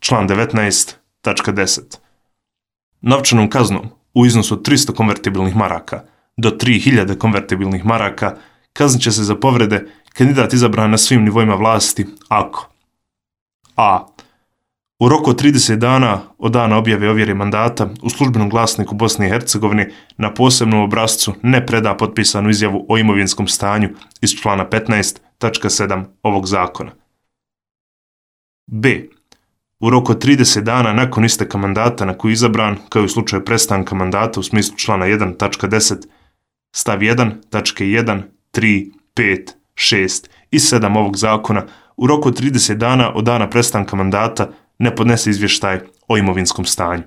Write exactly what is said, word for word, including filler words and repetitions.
član devetnaest tačka deset. Novčanom kaznom u iznosu od tristo konvertibilnih maraka do tri hiljade konvertibilnih maraka kaznit će se za povrede kandidat izabran na svim nivoima vlasti ako a. U roku od trideset dana od dana objave ovjere mandata u službenom glasniku Bosne i Hercegovine na posebnom obrascu ne preda potpisanu izjavu o imovinskom stanju iz člana petnaest tačka sedam ovog zakona. b. U roku od trideset dana nakon isteka mandata na koji je izabran, kao i u slučaju prestanka mandata u smislu člana jedan tačka deset, stav jedan tačke jedan, tri, pet, šest i sedam ovog zakona, u roku od trideset dana od dana prestanka mandata ne podnese izvještaj o imovinskom stanju.